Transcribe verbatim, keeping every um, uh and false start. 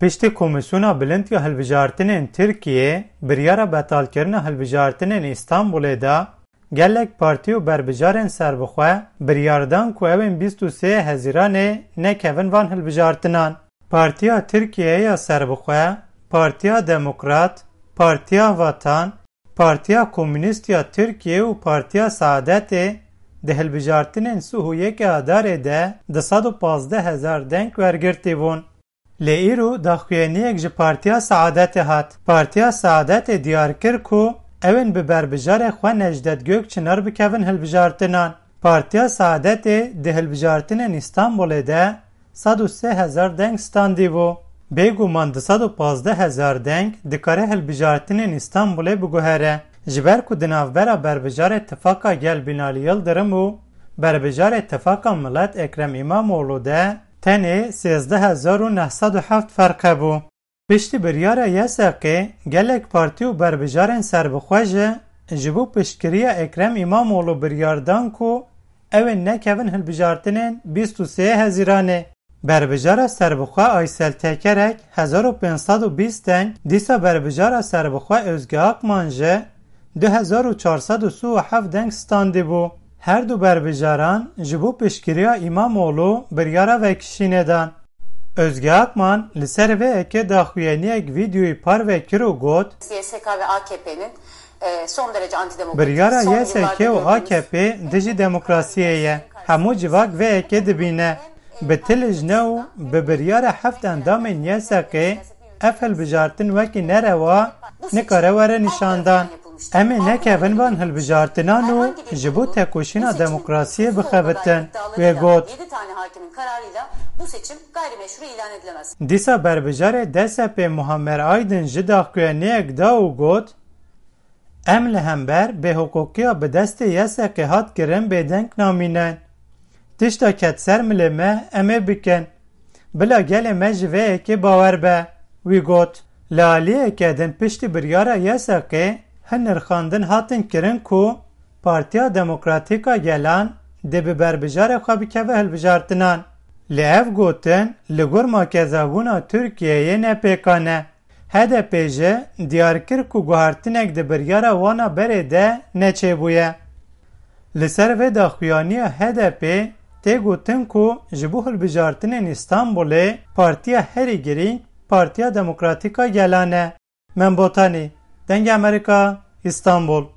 Piştî Komîsyona Bilind ya Hilbijartinên Tirkiyê biryara betalkirina hilbijartinên Îstanbulê da, gelek partî û berbijarên serbixwe biryar dan ku ew ên bîst û sê Hezîranê nekevin van hilbijartinan. Partiya Tirkiyeyê ya Serbixwe, Partiya Demokrat, Partiya Vatan, Partiya Komûnîst ya Tirkiyê û Partiya Saadetê di hilbijartinên sih û yekê Adarê de du sed û pazdeh hezar deng wergirtî bûn. Lê îro daxuyaniyek ji Partiya Saadetê hat. Partiya Saadetê diyar kir ku ew ên bi berbijarê xwe Necdet Gökçinar bikevin hilbijartinan. Partiya Saadetê di hilbijartinên Îstanbulê de sed û sê hezar deng standî bû. Bêguman du sed û pazdeh hezar deng dikare hilbijartinên Îstanbulê biguhere. Ji ber ku di navbera berbijarê Tifaka Gel Binalî Yildirim û berbijarê Tifaka Milet Ekrem Îmamoğlu de tenê sêzdeh hezar û neh sed û heft ferq hebû. Piştî biryara YSK'ê gelek partî û berbijarên serbixwe jî ji bo piştgiriya Ekrem Îmamoğlu biryar dan ku ew ên nekevin hilbijartinên bîst û sê Hezîranê. Berbijara serbixwe Aysel Tekerek hezar û pênc sed û bîst deng, dîsa berbijara serbixwe Özge Akman jî du hezar û çar sed û sî û heft deng standî bû. Her du berbijaran ji bo piştgiriya Îmamoğlu biryara vekişînê dan. Özge Akman li ser vê yekê daxuyaniyek vîdeoyî parve kir û got, Y S K ve A K P'nin e, son derece antidemokratik, Biryara son Y S K yıllarda û gördüğümüz A K P dijî demokrasiyê ye. Hemû civak vê yekê dibîne. Bi ti lijne û bi biryara heft endamên Y S K ev hilbijartin wekî nerewa nikare were nîşandan. Em ê nekevin van hilbijartinan û ji bo tekoşîna demokrasiyê bixebitin, wê got. Yedi tane hakimin kararıyla bu seçim gayrimeşru ilan edilemez. Dîsa berbijarê D S P Muammer Aydin jî daxuyaniyek da û got, Em li hember bêhiqûqiya bi destê Y S K'ê hat kirin bêdeng namînin. Tişta ket ser milê me em ê bikin. Bila gelê me ji vê yekê bawer be, wî got. Li aliyeke din piştî biryara Y S K'ê hin nirxandin hatin kirin ku Partiya Demokratîk a Gelan dê bi berbijarê xwe bikeve hilbijartinan. Lê ev gotin li gor makezabûna Tirkiyeyê ne pêkan e. H D P jî diyar kir ku guhertinek di biryara wana berê de neçêbûye. Li ser vê daxuyaniya H D P tê gotin ku ji bo hilbijartinên Îstanbulê partiya herî girîng Partiya Demokratîk a Gelan e. Membotanî, Dengê Amerîka, Îstanbul.